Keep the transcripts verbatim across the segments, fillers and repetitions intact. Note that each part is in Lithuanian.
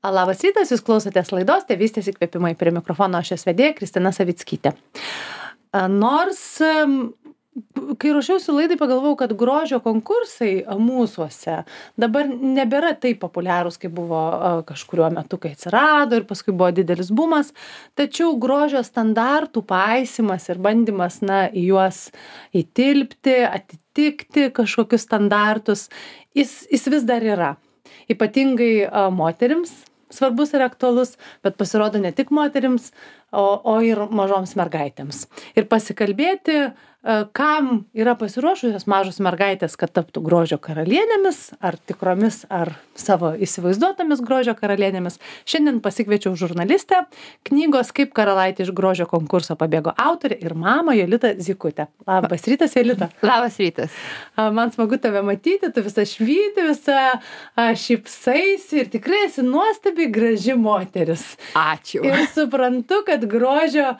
Labas rytas, jūs klausotės laidos Tėvystės įkvėpimai, prie mikrofono aš esu vedėja Kristina Savickytė. Nors, kai ruošiausi laidai, pagalvojau, kad grožio konkursai mūsuose dabar nebėra taip populiarūs, kaip buvo kažkuriuo metu, kai atsirado ir paskui buvo didelis bumas, tačiau grožio standartų paisimas ir bandymas na, į juos įtilpti, atitikti kažkokius standartus, jis, jis vis dar yra. Ypatingai a, moterims svarbus ir aktualus, bet pasirodo ne tik moterims, o, o ir mažoms mergaitėms. Ir pasikalbėti, a, kam yra pasiruošusios mažos mergaitės, kad taptų grožio karalienėmis, ar tikromis, ar savo įsivaizduotomis grožio karalienėmis. Šiandien pasikviečiau žurnalistę, knygos Kaip karalaitė iš grožio konkurso pabėgo autorė ir mamą Jolitą Zykutę. Labas rytas, Jolita. Labas rytas. Man smagu tave matyti, tu visą švyti, visą šypsaisi ir tikrai esi nuostabiai graži moteris. Ačiū. Ir suprantu, kad grožio,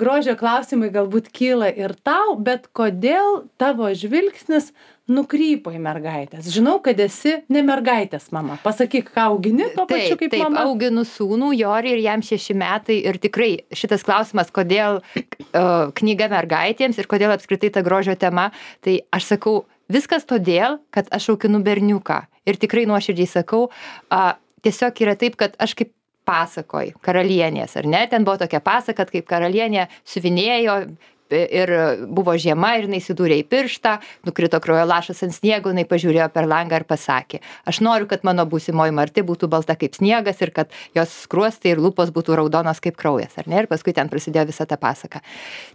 grožio klausimai galbūt kyla ir tau, bet kodėl tavo žvilgsnis nukrypo į mergaitės? Žinau, kad esi ne mergaitės mama. Pasakyk, ką augini tuo pačiu kaip taip, mama. Taip, auginu sūnų, Jorį, ir jam šeši metai. Ir tikrai šitas klausimas, kodėl uh, knyga mergaitėms ir kodėl apskritai ta grožio tema, tai aš sakau, viskas todėl, kad aš auginu berniuką. Ir tikrai nuoširdžiai sakau, uh, tiesiog yra taip, kad aš kaip pasakoj, karalienės, ar ne? Ten buvo tokia pasaka, kaip karalienė siuvinėjo, ir buvo žiema ir jinai įsidūrė į pirštą, nukrito kraujo lašas ant sniego, jinai pažiūrėjo per langą ir pasakė, aš noriu, kad mano būsimoji Marti būtų balta kaip sniegas ir kad jos skruostai ir lūpos būtų raudonos kaip kraujas, ar ne? Ir paskui ten prasidėjo visa ta pasaka.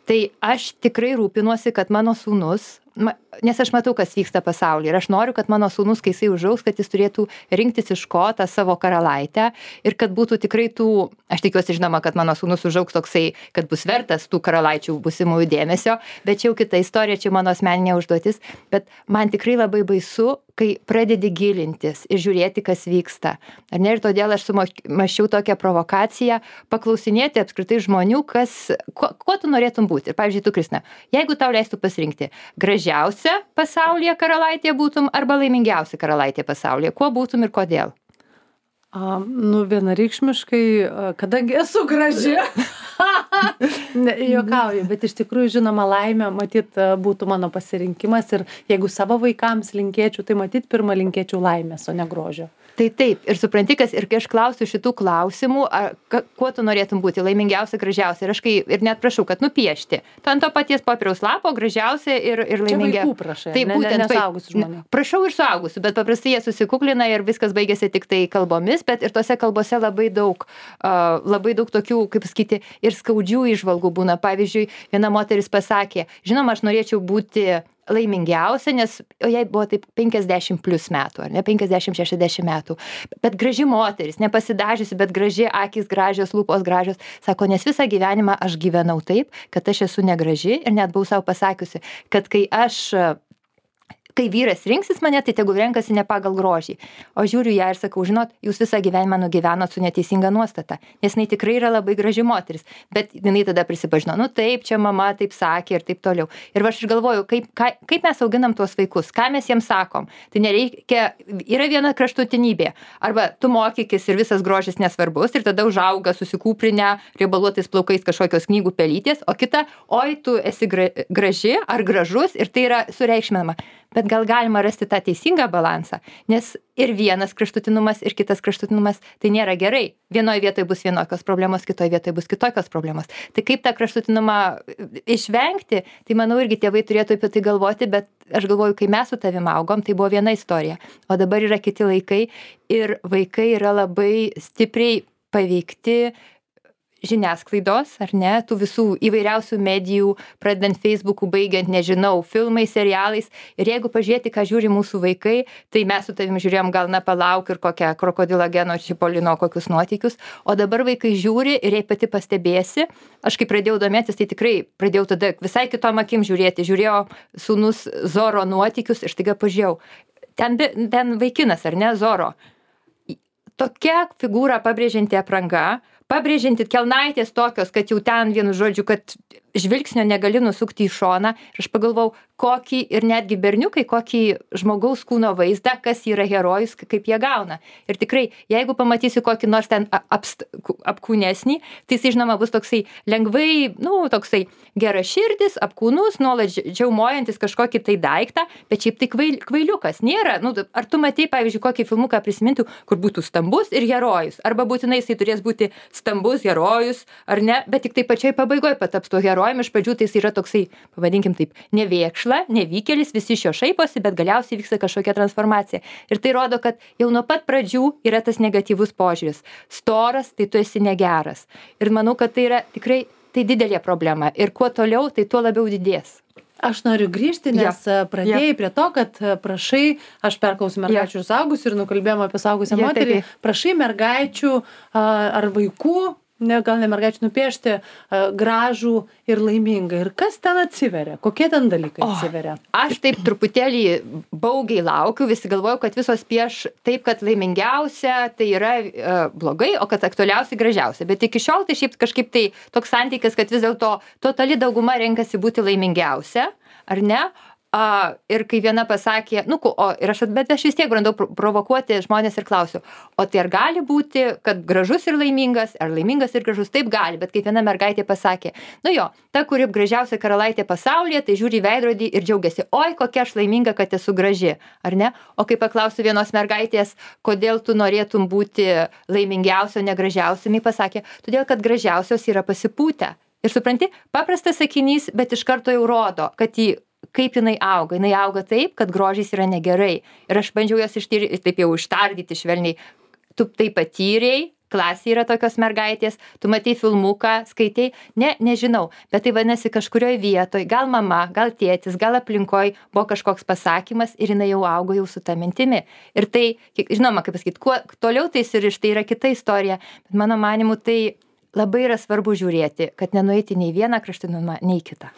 Tai aš tikrai rūpinuosi, kad mano sūnus, nes aš matau, kas vyksta pasaulyje ir aš noriu, kad mano sūnus, kai jisai užaugs, kad jis turėtų rinktis iš ko tą savo karalaitę ir kad būtų tikrai tų, aš tikiuosi žinoma, kad mano sūnus užaugs toksai, kad bus vertas tų karalaičių būsimųjų dėmesio, bet čia jau kita istorija, čia mano asmeninė užduotis, bet man tikrai labai baisu, kai pradedi gilintis ir žiūrėti, kas vyksta. Ar ne? Ir todėl aš sumaščiau tokią provokaciją, paklausinėti apskritai žmonių, kas, ko, ko tu norėtum būti. Ir pavyzdžiui, tu, Kristina, jeigu tau leistų pasirinkti gražiausia pasaulyje karalaitė būtum arba laimingiausia karalaitė pasaulyje, kuo būtum ir kodėl? A, nu, vienareikšmiškai, kadangi esu graži, ne, juokauju, bet iš tikrųjų, žinoma, laimė, matyt, būtų mano pasirinkimas ir jeigu savo vaikams linkėčiau, tai matyt, pirmą linkėčiau laimės, o ne grožio. Tai taip, ir supranti, kas, ir kai aš klausiu šitų klausimų, ar, ka, kuo tu norėtum būti, laimingiausia, gražiausia, ir aš kai, ir net prašau, kad nupiešti, tu ant to paties popieriaus lapo, gražiausia ir, ir laimingiausia. Čia vaikų prašai, tai ne, būtent, ne, ne suaugusių žmonių. Prašau ir suaugusių, bet paprastai jie susikuklina ir viskas baigėsi tik tai kalbomis, bet ir tose kalbose labai daug, uh, labai daug tokių, kaip sakyti, ir skaudžių įžvalgų būna. Pavyzdžiui, viena moteris pasakė, žinoma, aš norėčiau būti laimingiausia, nes jai buvo taip penkiasdešimt plus metų, ar ne, penkiasdešimt šešiasdešimt metų, bet graži moteris, nepasidažiusi, bet graži, akys gražios, lūpos gražios, sako, nes visą gyvenimą aš gyvenau taip, kad aš esu negraži ir net buvau savo pasakiusi, kad kai aš kai vyras rinksis mane, tai tegu renkasi ne pagal grožį. O žiūriu ją ir sakau, žinot, jūs visą gyvenimą nugyvenot su neteisinga nuostata, nes jinai tikrai yra labai graži moteris, bet jinai tada prisipažino, nu taip, čia mama taip sakė ir taip toliau. Ir aš galvoju, kaip, ka, kaip mes auginam tuos vaikus, ką mes jiems sakom. Tai nereikia, yra viena kraštutinybė, arba tu mokykis ir visas grožis nesvarbus ir tada užauga susikūprinę riebaluotais plaukais kažkokios knygų pelytės, o kita, oi, tu esi gra, graži ar gražus ir tai yra sureikšminama. Bet gal galima rasti tą teisingą balansą, nes ir vienas kraštutinumas, ir kitas kraštutinumas, tai nėra gerai. Vienoje vietoje bus vienokios problemos, kitoje vietoje bus kitokios problemos. Tai kaip tą kraštutinumą išvengti, tai manau irgi tėvai turėtų apie tai galvoti, bet aš galvoju, kai mes su tavim augom, tai buvo viena istorija, o dabar yra kiti laikai ir vaikai yra labai stipriai paveikti žiniasklaidos, ar ne, tų visų įvairiausių medijų, pradedant Facebook'u, baigiant, nežinau, filmais, serialais. Ir jeigu pažiūrėti, ką žiūri mūsų vaikai, tai mes su tavim žiūrėjom gal na palauk ir kokią krokodilo Geno Čipolino kokius nuotykius, o dabar vaikai žiūri ir jei pati pastebėsi, aš kai pradėjau domėtis, tai tikrai pradėjau tada visai kitom akim žiūrėti, žiūrėjau sūnus Zoro nuotykius ir staiga pažiūrėjau, ten, ten vaikinas, ar ne, Zoro. Tokia figūra pabrėžianti apranga, pabrėžianti kelnaitės tokios, kad jau ten vienu žodžiu, kad žvilgsnio negali nusukti į šoną ir aš pagalvojau, kokį ir netgi berniukai, kokį žmogaus kūno vaizdą, kas yra herojus, kaip jie gauna. Ir tikrai, jeigu pamatysi kokį nors ten apst, apkūnesnį, tai jis, žinoma, bus toksai lengvai, nu, toksai geraširdis, apkūnus, nuolat džiaumojantis kažkokį tai daiktą, bet šiaip tai kvail, kvailiukas nėra. Nu, ar tu matei, pavyzdžiui, kokį filmuką prisimintų, kur būtų stambus ir herojus, arba būtinai jisai turės būti stambus herojus, ar ne, bet tik tai pačioj pabaigoje pataps tuo herojumi, iš pradžių tai jis yra toksai, pavadinkim taip, nevėkšla, nevykėlis, visi iš jo šaiposi, bet galiausiai vyksta kažkokia transformacija. Ir tai rodo, kad jau nuo pat pradžių yra tas negatyvus požiūris. Storas, tai tu esi negeras. Ir manau, kad tai yra tikrai tai didelė problema. Ir kuo toliau, tai tuo labiau didės. Aš noriu grįžti, nes ja. pradėjai ja. prie to, kad prašai, aš perklausiu mergaičių ja. ir saugusių ir nukalbėjom apie saugusią ja, moterį, taip. prašai mergaičių ar vaikų, ne, gal ne mergaičių, nupiešti uh, gražų ir laimingą. Ir kas ten atsiveria? Kokie ten dalykai atsiveria? O, aš taip truputėlį baugiai laukiu, visi galvoju, kad visos pieš taip, kad laimingiausia tai yra uh, blogai, o kad aktualiausia gražiausia. Bet iki šiol tai šiaip kažkaip tai toks santykis, kad vis dėlto totali dauguma renkasi būti laimingiausia, ar ne? A, ir kai viena pasakė, nu, o, ir aš, bet aš vis tiek brandau provokuoti žmonės ir klausiu, o tai ar gali būti, kad gražus ir laimingas, ar laimingas ir gražus? Taip gali, bet kaip viena mergaitė pasakė, nu jo, ta, kuri gražiausia karalaitė pasaulyje, tai žiūri į veidrodį ir džiaugiasi, oi, kokia aš laiminga, kad esu graži, ar ne? O kai paklausiu vienos mergaitės, kodėl tu norėtum būti laimingiausio, negražiausio, jinai pasakė, todėl, kad gražiausios yra pasipūtę. Ir supranti, paprastas sakinys, bet iš karto jau rodo, kad jį kaip jinai auga. Jinai auga taip, kad grožis yra negerai. Ir aš bandžiau jos ištyri, taip jau ištardyti švelniai. Tu tai patyrei, klasėje yra tokios mergaitės, tu matei filmuką, skaitai, ne, nežinau, bet tai vadinasi kažkurioje vietoje, gal mama, gal tėtis, gal aplinkoje buvo kažkoks pasakymas ir jinai jau augo jau su ta mintimi. Ir tai, žinoma, kaip pasakyti, kuo toliau tai suriš, tai yra kita istorija, bet mano manimu tai labai yra svarbu žiūrėti, kad nenueiti nei vieną kraštinumą, nei kitą.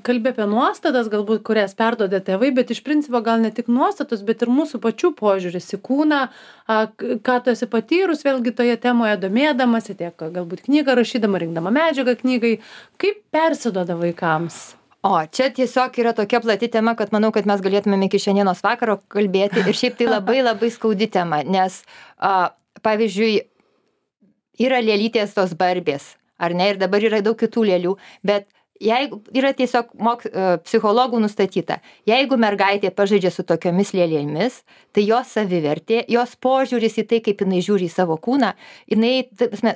Kalbė apie nuostatas, galbūt, kurias perdodė tėvai, bet iš principo gal ne tik nuostatus, bet ir mūsų pačių požiūris į kūną, ką tu esi patyrus, vėlgi toje temoje domėdamasi, tiek galbūt knygą rašydama, rinkdama medžiagą knygai, kaip persiduoda vaikams? O, čia tiesiog yra tokia plati tema, kad manau, kad mes galėtumėm iki šiandienos vakaro kalbėti ir šiaip tai labai labai skaudi tema, nes, a, pavyzdžiui, yra lėlytės tos barbės, ar ne, ir dabar yra daug kitų lėlių, bet jeigu yra tiesiog mok, psichologų nustatyta, jeigu mergaitė pažaidžia su tokiomis lėlėmis, tai jos savivertė, jos požiūris į tai, kaip jinai žiūri į savo kūną, jinai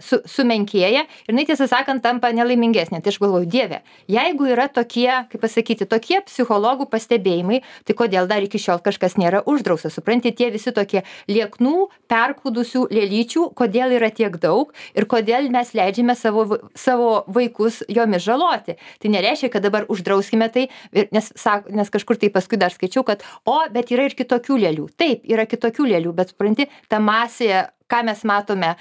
su, sumenkėja ir jinai, tiesą sakant, tampa nelaimingesnė. Tai aš galvoju, Dieve, jeigu yra tokie, kaip pasakyti, tokie psichologų pastebėjimai, tai kodėl dar iki šiol kažkas nėra uždrausta? Supranti, tie visi tokie lieknų, perkūdusių lėlyčių, kodėl yra tiek daug ir kodėl mes leidžiame savo, savo vaikus jomis žaloti. Tai nereiškia, kad dabar uždrauskime tai, nes, nes kažkur tai paskui dar skaičiau, kad, o, bet yra ir kitokių lėlių. Taip, yra kitokių lėlių, bet supranti, ta masė, ką mes matome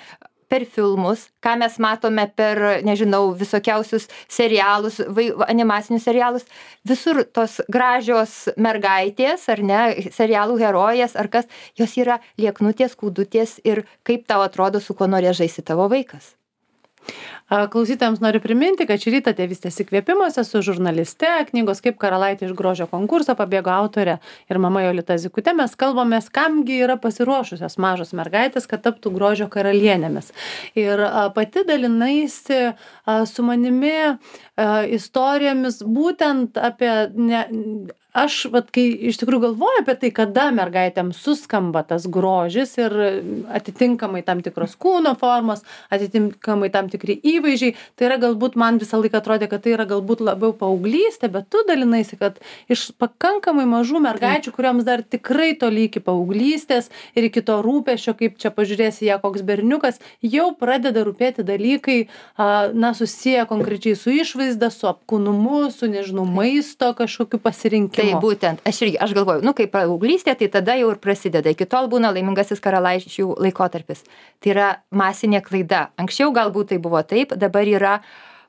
per filmus, ką mes matome per, nežinau, visokiausius serialus, vai, animacinius serialus, visur tos gražios mergaitės, ar ne, serialų herojės, ar kas, jos yra lieknutės, kūdutės ir kaip tau atrodo, su kuo norės žaisti tavo vaikas. Klausytojams noriu priminti, kad šį rytą Tėvystės įkvėpimuose su žurnaliste, knygos Kaip karalaitė iš grožio konkurso pabėgo autorė ir mama Jolita Zykutė, mes kalbamės, kamgi yra pasiruošusios mažos mergaitės, kad taptų grožio karalienėmis. Ir pati dalinaisi su manimi istorijomis būtent apie... Ne, Aš, vat, kai iš tikrųjų galvoju apie tai, kada mergaitėm suskamba tas grožis ir atitinkamai tam tikros kūno formos, atitinkamai tam tikri įvaizdžiai, tai yra galbūt man visą laiką atrodė, kad tai yra galbūt labiau paauglystė, bet tu dalinaisi, kad iš pakankamai mažų mergaičių, kuriuoms dar tikrai toli iki paauglystės ir iki to rūpesčio, kaip čia pažiūrėsi ją koks berniukas, jau pradeda rūpėti dalykai, na, susiję konkrečiai su išvaizda, su apkūnumu, su, nežinau, maisto kažkokiu pasirinkimu. Tai būtent, aš irgi, aš galvoju, nu, kaip paauglystė, tai tada jau ir prasideda. Iki tol būna laimingasis karalaičių laikotarpis. Tai yra masinė klaida. Anksčiau galbūt tai buvo taip, dabar yra,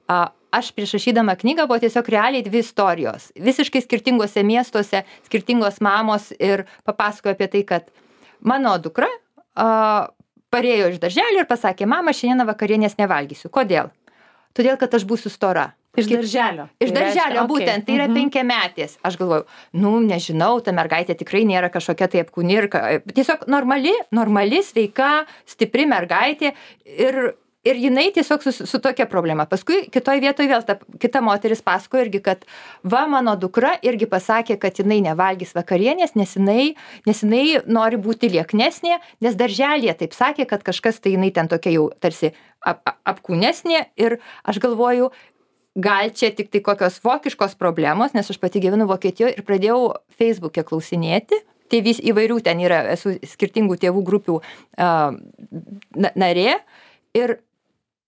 a, aš prieš rašydama knygą buvo tiesiog realiai dvi istorijos. Visiškai skirtingose miestuose, skirtingos mamos ir papasakojo apie tai, kad mano dukra a, parėjo iš darželio ir pasakė, mama, šiandieną vakarienės nevalgysiu. Kodėl? Todėl, kad aš būsiu stora. Iš darželio. Iš Tai darželio, reiškia, būtent, okei. tai yra Mhm. penkiametės. Aš galvoju, nu, nežinau, ta mergaitė tikrai nėra kažkokia tai apkūni ir ka- tiesiog normali, normali, sveika, stipri mergaitė ir, ir jinai tiesiog su, su tokia problema. Paskui kitoj vietoje vėl ta kita moteris pasakojo irgi, kad va, mano dukra irgi pasakė, kad jinai nevalgys vakarienės, nes jinai, nes jinai nori būti lieknesnė, nes darželėje taip sakė, kad kažkas tai jinai ten tokia jau tarsi ap, ap, apkūnesnė ir aš galvoju, gal čia tik tai kokios vokiškos problemos, nes aš pati gyvenu Vokietijoje ir pradėjau Facebook'e klausinėti. Tai vis įvairių ten yra, esu skirtingų tėvų grupių uh, narė. Ir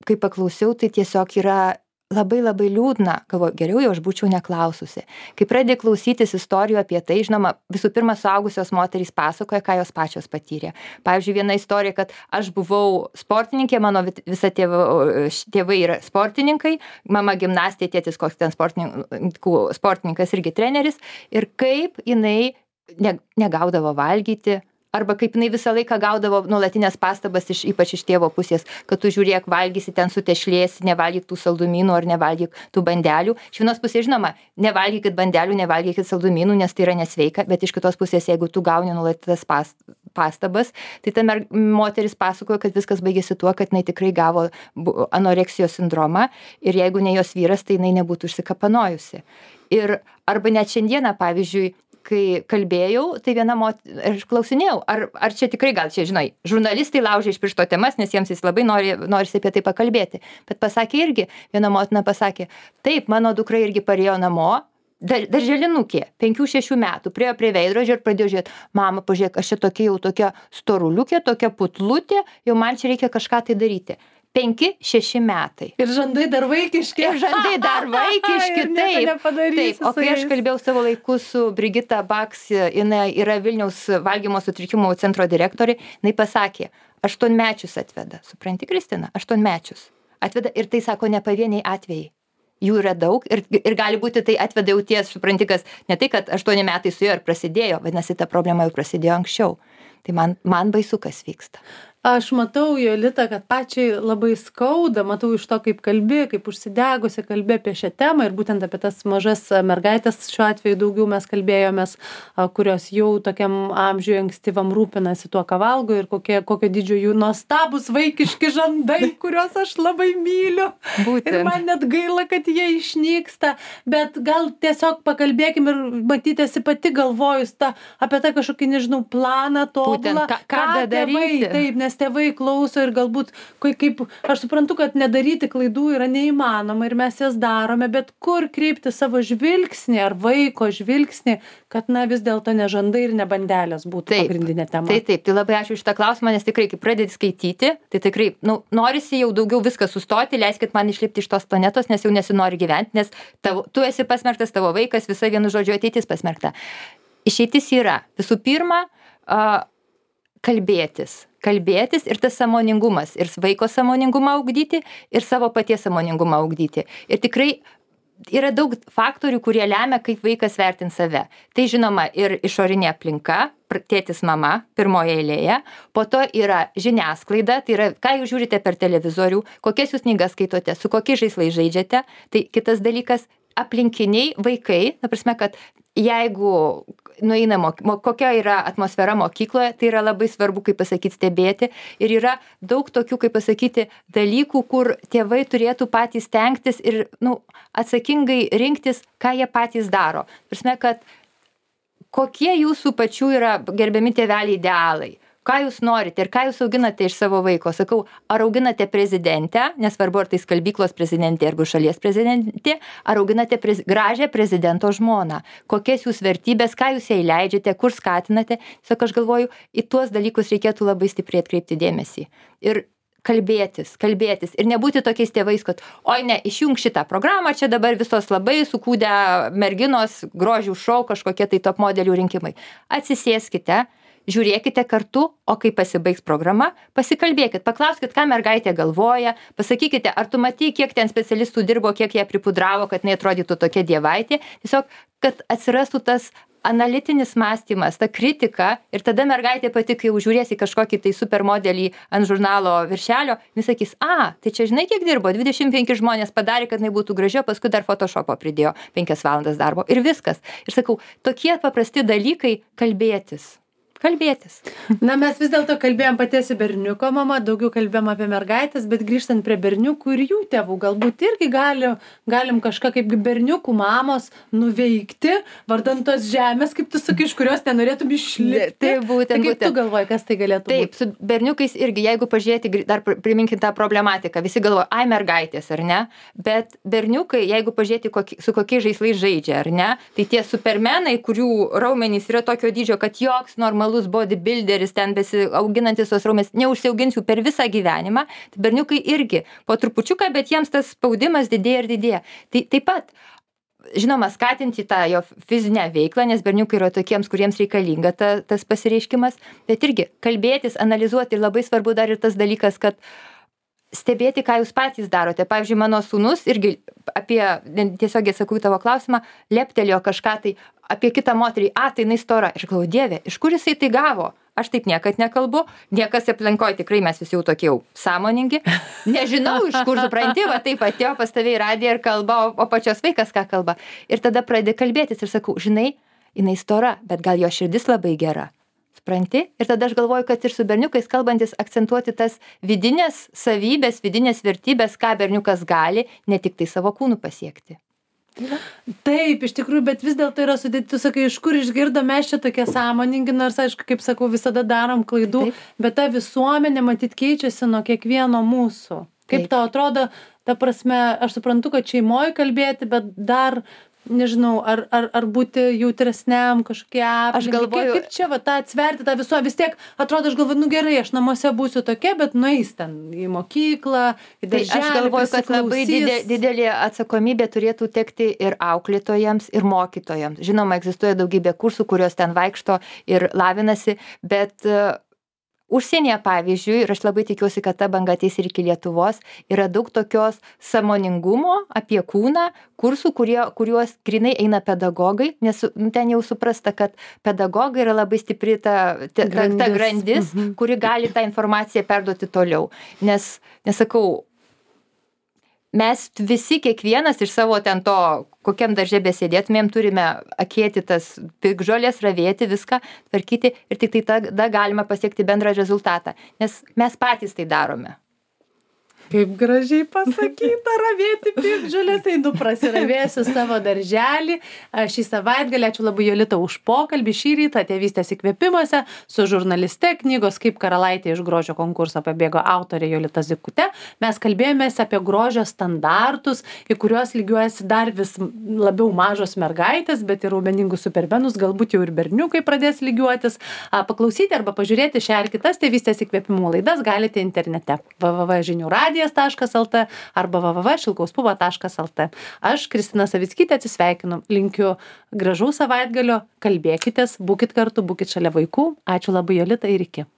kai paklausiau, tai tiesiog yra labai labai liūdna. Galvoju, geriau jau aš būčiau neklaususi. Kai pradėjau klausytis istorijų apie tai, žinoma, visų pirma, suaugusios moterys pasakoja, ką jos pačios patyrė. Pavyzdžiui, viena istorija, kad aš buvau sportininkė, mano visa tėvai, tėvai yra sportininkai, mama gimnastė, tėtis koks ten sportininkas irgi treneris, ir kaip jinai ne, negaudavo valgyti, arba kaip jinai visą laiką gaudavo nuolatinės pastabas, iš, ypač iš tėvo pusės, kad tu žiūrėk, valgysi ten sutešlėsi, nevalgyk tų saldumynų ar nevalgyk tų bandelių. Iš vienos pusės, žinoma, nevalgykit bandelių, nevalgykit saldumynų, nes tai yra nesveika, bet iš kitos pusės, jeigu tu gauni nuolatinės pas, pastabas, tai ta mer, moteris pasakojo, kad viskas baigėsi tuo, kad jinai tikrai gavo anoreksijos sindromą ir jeigu ne jos vyras, tai jinai nebūtų užsikapanojusi. Ir arba net šiandieną, pavyzdžiui, kai kalbėjau, tai viena moteris, aš klausinėjau, ar, ar čia tikrai gal čia, žinai, žurnalistai laužia iš piršto temas, nes jiems jis labai nori, norisi apie tai pakalbėti. Bet pasakė irgi, viena motina pasakė, taip, mano dukra irgi parėjo namo, dar, darželinukė, penkių šešių metų, priejo prie veidrodžio ir pradėjo žiūrėti, mama, pažiūrėk, aš čia tokia jau tokia storuliukė, tokia putlutė, jau man čia reikia kažką tai daryti. Penki, šeši metai. Ir žandai dar vaikiški. Ir žandai dar vaikiški, taip. Taip, o kai aš kalbėjau savo laiku su Brigita Baks, jinai yra Vilniaus valgymo sutrikimų centro direktorė, jinai pasakė, aštuonmečius atveda. Supranti, Kristina? Aštuonmečius. Atveda ir tai sako ne pavieniai atvejai. Jų yra daug ir, ir gali būti tai atveda jau ties, supranti, kas ne tai, kad aštuoni metai su juo ir prasidėjo, vadinasi, ta problema jau prasidėjo anksčiau. Tai man, man baisu, kas vyksta. Aš matau, Jolita, kad pačiai labai skauda, matau iš to, kaip kalbi, kaip užsidegusi kalbi apie šią temą ir būtent apie tas mažas mergaitės, šiuo atveju daugiau mes kalbėjomės, kurios jau tokiam amžiui ankstyvam rūpinasi tuo, ką valgo ir kokie, kokio didžio jų nuostabus vaikiški žandai, kuriuos aš labai myliu. Būtent. Ir man net gaila, kad jie išnyksta, bet gal tiesiog pakalbėkim ir matytėsi pati galvojus ta, apie tą kažkokį, nežinau, planą tobulą, ką, ką, ką daryti. Taip, nes tėvai klauso ir galbūt, kaip, aš suprantu, kad nedaryti klaidų yra neįmanoma ir mes jas darome, bet kur kreipti savo žvilgsnį ar vaiko žvilgsnį, kad na vis dėlto ne žandai ir ne bandelės būtų taip, pagrindinė tema. Taip, taip, tai labai ačiū šitą klausimą, nes tikrai, kai pradedi skaityti, tai tikrai, nu, norisi jau daugiau viską sustoti, leiskit man išlipti iš tos planetos, nes jau nesinori gyventi, nes tavo, tu esi pasmerktas, tavo vaikas, visa vienu žodžiu ateitis pasmerkta. Išeitis yra, visų pirma, uh, kalbėtis. Kalbėtis ir tas sąmoningumas, ir vaiko sąmoningumą ugdyti, ir savo paties sąmoningumą ugdyti. Ir tikrai yra daug faktorių, kurie lemia, kaip vaikas vertins save. Tai žinoma ir išorinė aplinka, tėtis, mama, pirmoje eilėje. Po to yra žiniasklaida, tai yra, ką jūs žiūrite per televizorių, kokias jūs knygas skaitote, su kokiais žaislais žaidžiate. Tai kitas dalykas, aplinkiniai vaikai, ta prasme, kad jeigu nueina, kokia yra atmosfera mokykloje, tai yra labai svarbu, kaip pasakyti, stebėti. Ir yra daug tokių, kaip pasakyti, dalykų, kur tėvai turėtų patys stengtis ir nu, atsakingai rinktis, ką jie patys daro. Prasme, kad kokie jūsų pačių yra gerbiami tėveliai idealai. Ką jūs norite ir ką jūs auginate iš savo vaiko. Sakau, ar auginate prezidentę, nesvarbu, ar tai skalbyklos prezidentė arba šalies prezidentė, ar auginate prez, gražią prezidento žmoną. Kokias jūs vertybės, ką jūs jai leidžiate, kur skatinate. Tiesiog aš galvoju, į tuos dalykus reikėtų labai stipriai atkreipti dėmesį. Ir kalbėtis, kalbėtis. Ir nebūti tokiais tėvais, kad, oi ne, išjung šitą programą, čia dabar visos labai sukūdę merginos, grožių šou, kažkokie tai top modelių rinkimai. Atsisėskite žiūrėkite kartu, o kai pasibaigs programa, pasikalbėkit, paklauskit, ką mergaitė galvoja, pasakykite, ar tu matai, kiek ten specialistų dirbo, kiek jie pripudravo, kad neatrodytų tokia dievaitė, tiesiog, kad atsirastų tas analitinis mąstymas, ta kritika ir tada mergaitė pati, kai jau žiūrės į kažkokį tai supermodelį ant žurnalo viršelio, jis sakys, a, tai čia žinai, kiek dirbo, dvidešimt penki žmonės padarė, kad jinai būtų graži, paskui dar Photoshopo pridėjo penkias valandas darbo ir viskas. Ir sakau, tokie paprasti dalykai kalbėtis. Kalbėtis. Na, mes vis dėlto kalbėjom patiesi berniuko mama, daugiau kalbėjom apie mergaitės, bet grįžtant prie berniukų ir jų tėvų, galbūt irgi gali, galim kažką kaip berniukų mamos nuveikti, vardant tos žemės, kaip tu sakai, iš kurios nenorėtum išlipti. Tai būtent, tai kaip būtent. tu galvoji, kas tai galėtų būti? Taip, su berniukais irgi, jeigu pažiūrėti, dar priminkim tą problematiką, visi galvoja, ai mergaitės, ar ne? Bet berniukai, jeigu pažiūrėti, kokie, su kokiais žaislais žaidžia, ar ne? Tai tie supermenai, kurių raumenys yra tokio dydžio, kad joks normalus bodybuilderis ten besiauginantis tos raumenys neužsiaugins jų per visą gyvenimą, tai berniukai irgi po trupučiuką, bet jiems tas spaudimas didėja ir didėja. Tai taip pat, žinoma, skatinti tą jo fizinę veiklą, nes berniukai yra tokiems, kuriems reikalinga ta, tas pasireiškimas, bet irgi kalbėtis, analizuoti ir labai svarbu dar ir tas dalykas, kad stebėti, ką jūs patys darote. Pavyzdžiui, mano sūnus irgi apie, tiesiogiai sakau į tavo klausimą, leptelėjo kažką tai apie kitą moterį, a, tai jinai stora. Ir galvoju, Dieve, iš kur jisai tai gavo? Aš taip niekad nekalbu, niekas aplinkoje tikrai mes visi jau tokie jau sąmoningi. Nežinau, iš kur supranti, va taip atėjo pas tave į radiją ir kalba, o, o pačios vaikas ką kalba. Ir tada pradedi kalbėtis ir sakau, žinai, jinai stora, bet gal jo širdis labai gera. Supranti? Ir tada aš galvoju, kad ir su berniukais kalbantis akcentuoti tas vidinės savybės, vidinės vertybės, ką berniukas gali, ne tik tai savo kūnų pasiekti. Taip, iš tikrųjų, bet vis dėlto yra sudėti, tu sakai, iš kur išgirdom, mes čia tokie sąmoningi, nors, aišku, kaip sakau, visada darom klaidų, taip, bet ta visuomenė matyt keičiasi nuo kiekvieno mūsų. Kaip taip. Tau atrodo, ta prasme, aš suprantu, kad šeimoje kalbėti, bet dar nežinau, ar, ar, ar būti jautresniam kažkokie aplinkai. Aš galvoju, kaip čia va tą atsverti tą visuomenę, vis tiek atrodo, aš galvoju, nu gerai, aš namuose būsiu tokia, bet nueis ten į mokyklą, į darželį. Tai aš galvoju, kad labai didelė, didelė atsakomybė turėtų tekti ir auklėtojams, ir mokytojams. Žinoma, egzistuoja daugybė kursų, kurios ten vaikšto ir lavinasi, bet uh, užsienyje, pavyzdžiui, ir aš labai tikiuosi, kad ta banga ateis ir iki Lietuvos, yra daug tokios sąmoningumo apie kūną, kursų, kurie, kuriuos grinai eina pedagogai, nes ten jau suprasta, kad pedagogai yra labai stipri ta, ta, grandis, ta, ta grandis mhm. kuri gali tą informaciją perduoti toliau. Nes, nesakau, mes visi, kiekvienas iš savo ten to, kokiam darže besėdėtumėm, turime akėti tas piktžolės, ravėti viską, tvarkyti ir tik tai tada galima pasiekti bendrą rezultatą, nes mes patys tai darome. Kaip gražiai pasakyta, ravėti piktžolės, einu prasiravėsiu savo darželį. Šį savaitgalį, ačiū labai Jolita už pokalbį šį rytą Tėvystės įkvėpimuose su žurnaliste knygos Kaip karalaitė iš grožio konkurso pabėgo autorė Jolita Zykutė. Mes kalbėjomės apie grožio standartus, į kuriuos lygiuojasi dar vis labiau mažos mergaitės, bet ir raumeningus supermenus, galbūt jau ir berniukai pradės lygiuotis. Paklausyti arba pažiūrėti šią ar kitas Tėvystės įkvėpimų laidas galite internete w w w taškas žinių radijas taškas lt arba w w w taškas šilkauspuva taškas lt. Aš, Kristina Savickytė, atsisveikinu. Linkiu gražaus savaitgalio, kalbėkitės, būkit kartu, būkit šalia vaikų. Ačiū labai, Jolita, ir iki.